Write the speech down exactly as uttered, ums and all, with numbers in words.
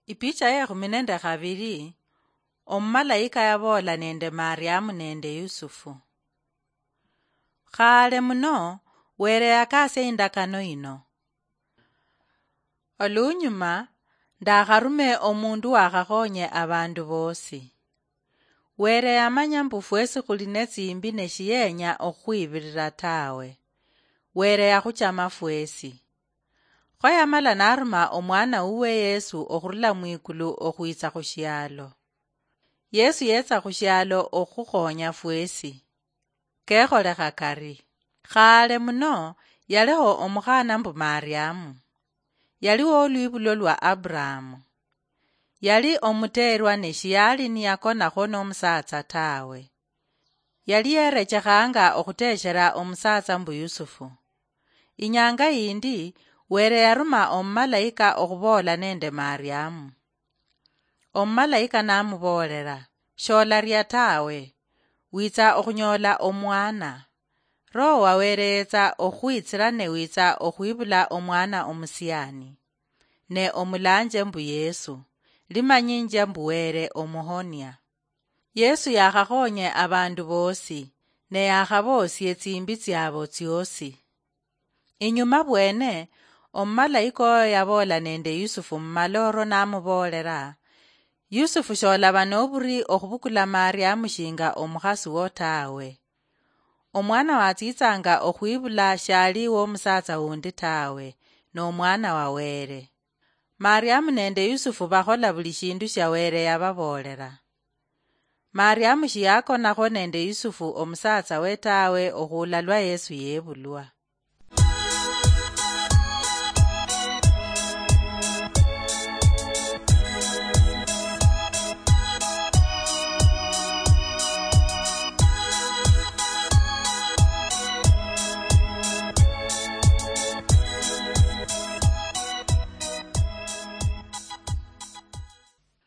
Ipicha yekhumi nende khabili. Omumalaika yaboola nende Mariamu nende Yusufu. Khale muno, Wele yakasia indakano ino: Olunyuma, ndakharume omundu wakhakhonye abandu bosi. Wele yamanya mbu fwesi khuli netsimbi ne shiyenya okhukhwibirira tawe. Wele yakhuchama fwesi. Kho yamala naruma omwana wuwe Yesu okhurula mwikulu okhwitsa khushialo. Yesu yetsa khushialo okhukhonya fwesi. Kekholekha kari. Khale muno, yaliho omukhana mbu Mariamu. Yali wolwibulo lwa Abrahamu. Yali omuteerwa ne shiyali niyakonakho nomusatsa tawe. Yali yerechekhanga okhuteshera omusatsa mbu Yusufu. Inyanga yindi, Wele yaruma omumalaika okhuboola nende Mariamu. Omumalaika namuboolela: "Sholaria tawe, witsa okhunyoola omwana. Roho wa Wele yetsa okhukhwitsila ne witsa okhwibula omwana omusiani, ne omulanje mbu Yesu, limanyinjia mbu Wele omuhonia." Yesu yakhakhonye abandu bosi, ne yakhaboosie tsimbi tsiabo tsiosi. Inyuma bwene, omumalaika oyo yaboola nende Yusufu mumaloro namuboolela: "Yusufu, sholaba noburi okhubukula Mariamu shinga omukhasi wo tawe. Omwana watsitsanga okhwibula shali womusatsa wundi tawe, nomwana wa Wele. Mariamu nende Yusufu bakhola buli shindu shia Wele yababoolela." Mariamu shiyakonakho nende Yusufu omusatsa we tawe okhuula lwa Yesu yebulwa.